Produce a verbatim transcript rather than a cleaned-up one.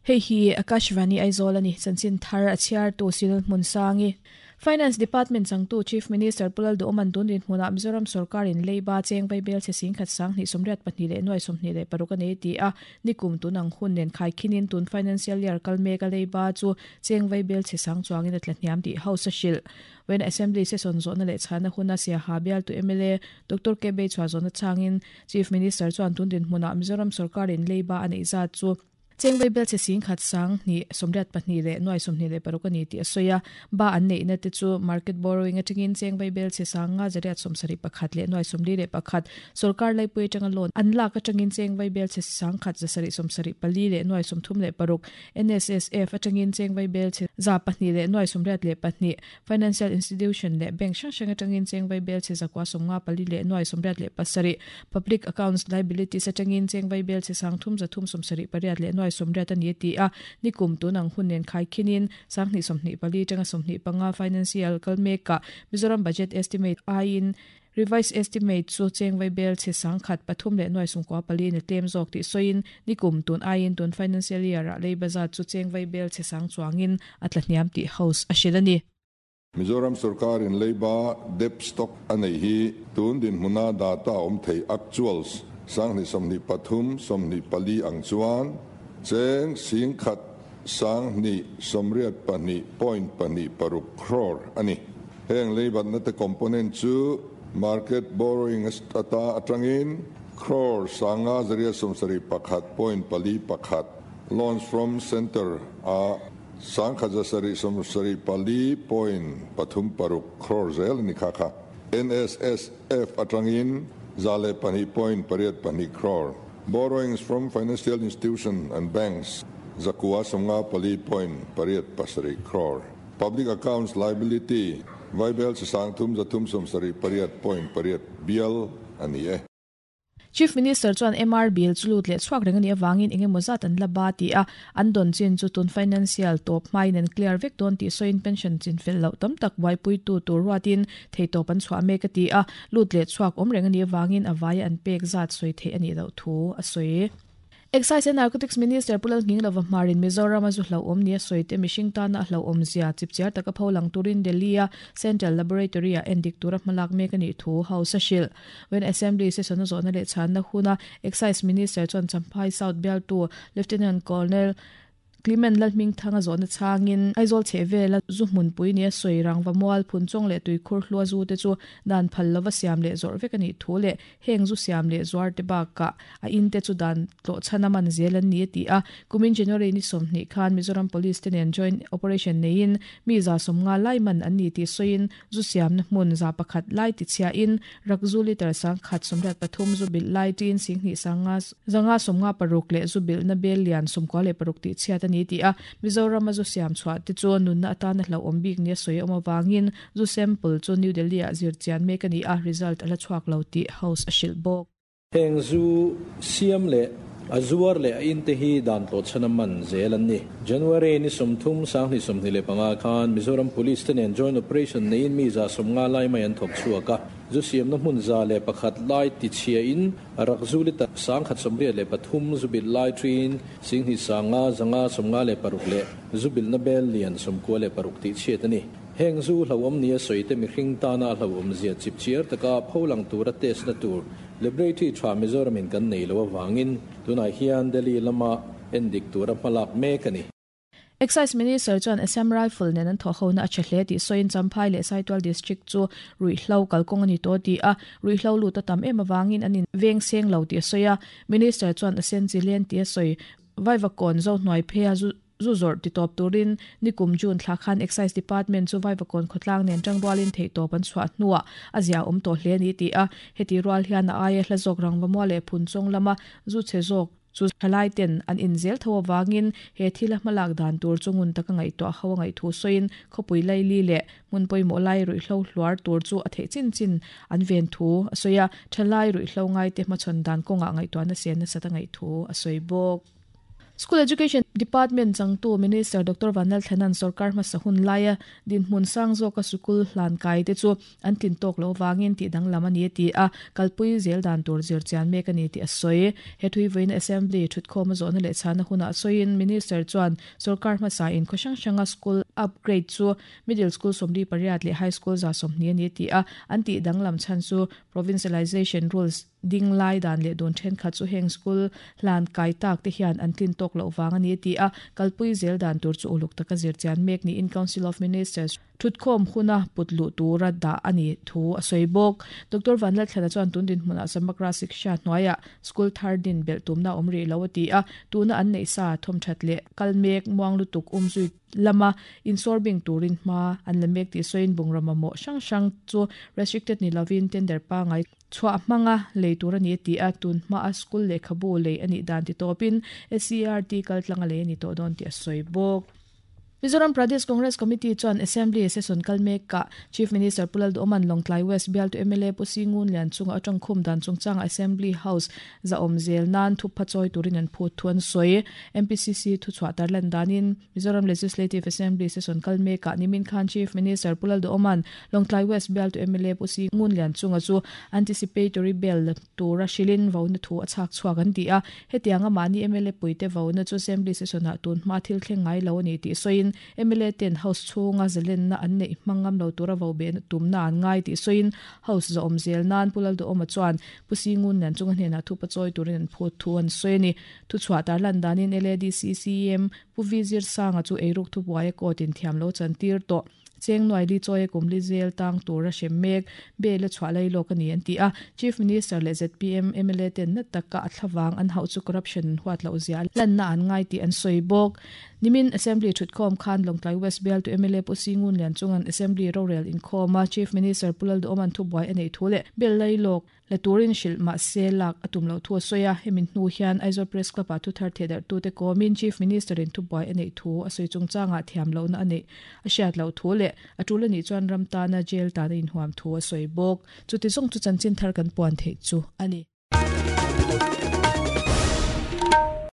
Hei hi Akashvani Aizawl ani chanchin thar a chhiar tu Sinal Hmunsangi. Finance Department changtu Chief Minister Pulal Duoman tun dinhmuna Mizoram sarkarin leiba cheng vaibel che sing khat sang ni somriat pahnih leh nuai sawmhnih leh paruk a nei ti a nikum tunang hun nen khai khinin tun financial year kal mek a leiba chu cheng vaibel che sang chuangin a tla hniam tih house a hrilh. When Assembly session zawhna leh chhana huna Siaha bial tu M L A Doctor K B chhuah zawhna changin Chief Minister chuan tun dinhmuna Mizoram sarkarin leiba a neih zat chu cheng vaibel che sing khat sang ni somriat pahnih leh nuai sawmhnih leh paruk a ni tih a sawi a ba an neihna te chu market borrowing atangin cheng vaibel che sang nga zariat sawmsarih pakhat leh nuai sawmli leh pakhat sarkar laipui atanga loan an lak atangin cheng vaibel che sang khat zasarih sawmsarih pali leh nuai sawmthum leh paruk N S S F atangin cheng vaibel che za pahnih leh nuai sawmriat leh pahnih financial institution leh bank hrang hrang atangin cheng vaibel che zakua sawmnga pali leh nuai sawmriat leh pasarih public accounts liabilities atangin cheng vaibel che sang thum zathum sawmsarih pariat leh nuai somriat ani ti a nikum tunang hunnen khai khinin sanghni somhni pali tanga somhni panga financial kalmeka Mizoram budget estimate ain revised estimate chu cheng vaibel che sang khat pathum leh nuai sungkwa pali ni tlem zawk ti soin nikum tun ain tun financial year a leibaza chu cheng vaibel che sang chuangin atla hniam ti house a hrilani. Mizoram sarkar in leiba debt stock anei hi tun din hmuna data om thei actuals sanghni somhni pathum somhni pali ang chuan cheng sing khat sang ni somriat pahnih point pahnih paruk crore ani heng leibat na te component chu market borrowing ata atangin crore sanga zaria somsari pakhat point pali pakhat loans from center a sang khat zasari somsari pali point pathum paruk crore zel ni kha kha N S S F atangin zale pahnih point pariat pahnih crore borrowings from financial institution and banks zakua somnga pali point pariat pasari crore public accounts liability vaibel sang thum zathum somsari pariat point pariat bial ani e. Chief Minister chuan M R bill chulut leh chhuak reng ani awangin engemaw zat an la ba ti a an don chin chu tun financial top mine and clear vek don ti soin pension chin fel lo tam tak waipui tu tur ruatin theitop an chhuah mek ati a lut leh chhuak awm reng ani awangin awai an pek zat soi the ani lo thu a soi. Excise and Narcotics Minister Pulal Nginglova Marin Mizoram a zu hlo awm ni a sawi te mihring tana hlo awm zia chipchiar taka pholang turin Delhi a Central Laboratory a endik tura hmalak mek ani thu house a hrilh. When Assembly session a zawhna leh chhanna huna Excise Minister chuan Champhai South bialtu Lieutenant Colonel Clement Lalhming thanga zawhna changin Aizawl chhehvela zu hmunpui ni a sawi rangva mual phun chawng leh tuikhur hlua zu te chu dan phal lova siam leh zawrh vek ani thu leh heng zu siam leh zuar te bakah a in te chu dan tlawh chhana man zel an ni ti a kumin January ni sawmhnih khan Mizoram Police te nen joint operation neiin mi za sawmnga lai man an ni ti sawiin zu siamna hmun za pakhat lai ti chhia in rakzu liter sang khat sawmriat pathum zu bil lai tin singhnih sanga zanga sawmnga paruk leh zu bil na bel lian sawmkua leh paruk ti chhiat ani ti a Mizoram a zu siam chhuah te chu nunna atana hlo awm bik ni a sawi awm awangin zu sample chu New Delhi a zir chian mek ani a result ala chhuak lo ti house a hrilh bawk. Heng zu siam leh a zuar leh a in te hi dan tlawh chhana man zel an ni. January ni sawmthum sanghnih sawmhnih leh panga khan Mizoram Police te nen joint operation neiin mi za sawmnga lai mai an thawk chhuak a zu siamna hmun za leh pakhat lai ti chhia in rakzu liter sang khat sawmriat leh pathum zu bil lai thin singhnih sanga zanga sawmnga leh paruk leh zu bil na bel lian sawmkua leh paruk ti chhiat ani. Heng zu hlo awm ni a sawi te mihring tana hlo awm zia chipchiar taka pholang tura test na tur laboratory tha Mizoram in kan nei lo awangin tunah hian Delhi lama endik tura hmalak mek ani. Excise Minister chuan Assam Rifle nen an thawhhona a che hle tih sawiin Champhai leh Saitual District chu ruihhlo kalkawng ani tawh ti a ruihhlo lut a tam em awangin an in veng seng lo tih a sawi a Minister chuan a sen chi len tih a sawi vaivakawn zo hnuai phei a zu zu zawrh ti tawp turin nikum June thla khan Excise Department chu vaivakawn khawtlang nen tangrualin theitawp an chhuah hnuah a zia awm tawh hle ani ti a heti rual hian a aia hla zawk rangva mual leh phun chawng lama zu che zawk chu thalai ten an inzel tho awangin he thil a hmalak dan tur chungun taka ngaihtuah ho a ngaih thu sawiin khawpui laili leh hmun pawimawh lai ruihhlo hluar tur chu a theih chin chin an ven thu a sawi a thalai ruihhlo ngai te hmachhawn dan kawngah ngaihtuahna sen nasa ta ngaih thu a sawi bawk. School Education Department changtu Minister Doctor Vanlal Thanan sarkar ma sahun laia din hmun sang zo ka sukul hlan kai te chu an tin tok lo wangin ti dang lama ni ti a kalpui zel dan tur zir chian mek ani ti a soi he thui vein assembly thut khom zo na le chana huna soin Minister chuan sarkar ma sa in khoshang shanga school upgrade chu middle school somli pariat le high school za somni ani ti a an ti dang lam chan chu provincialization rules ding lai dan le don then kha chu heng school hlan kai tak te hian an tin tok lo wang ani ti a kalpui zel dan tur chu uluk taka zir chian mek ni in Council of Ministers thutkhom huna putlu tura da ani thu a soibok Doctor Vanlal Thlana chuan tundin hmuna Samagra Shiksha hnuaia school thar din bel tumna omri lawati a tuna an nei sa thom thatle kalmek muang lutuk umzui lama insorbing turin ma an lamek ti soin bungrama mo sang sang chu restricted ni lovin tender pa ngai chua manga leitura ni ti a tun ma a school le khabu le ani dan ti topin S C R T kal tlanga le ni to don ti a soibok Mizoram Pradesh Congress Committee chuan Assembly session kalmek ka Chief Minister Pulal Oman Longtlai West bial to M L A Pusingun lian chunga atang khum dan chungchang Assembly House za omzel nan thu phachoi turin an phut thuan soi M P C C thu chwa tarlan danin Mizoram Legislative Assembly session kalmek ka nimin khan Chief Minister Pulal Oman Longtlai West bial to M L A Pusingun lian chunga chu anticipatory bail tura shilin vauna thu achak chuak an ti a hetianga mani M L A puite vauna chu Assembly session a tun ma thil thleng ngai lo ni ti soin M L A ten house chunga zelen na an nei mangam lo tura vo be tumna an ngai ti soin house zo omzel nan pulal do oma chuan pusingun nan chunga hne na thu pachoi turin phu thuan soini thu chwa tar lan danin L A D C C M pu vizir sanga chu eiruk thu buai ko tin thiam lo chan tir to cheng noi li choi kum li zel tang tura shemek be le chwalai lo kani an ti a Chief Minister le Z P M M L A ten na taka athlawang an hau chu corruption huat lo zia lan na an ngai ti an soibok nimin Assembly thutkhom khan Longtlai West Bel to M L A Pusingun lian chungan Assembly rorel in khoma Chief Minister Pulal do oman thu buai anei thule bel lai lok la turin shil ma se lak atum lo thu soya hemin hnu hian Aizawl Press Club a thu thar thedar tu te komin Chief Minister in thu buai anei thu a soi chungchanga thiam lo na anei a hriat lo thu le atula ni chuan ramta na jail ta na in huam thu a soi bok chuti zong chu chanchin thar kan puan thei chu ani.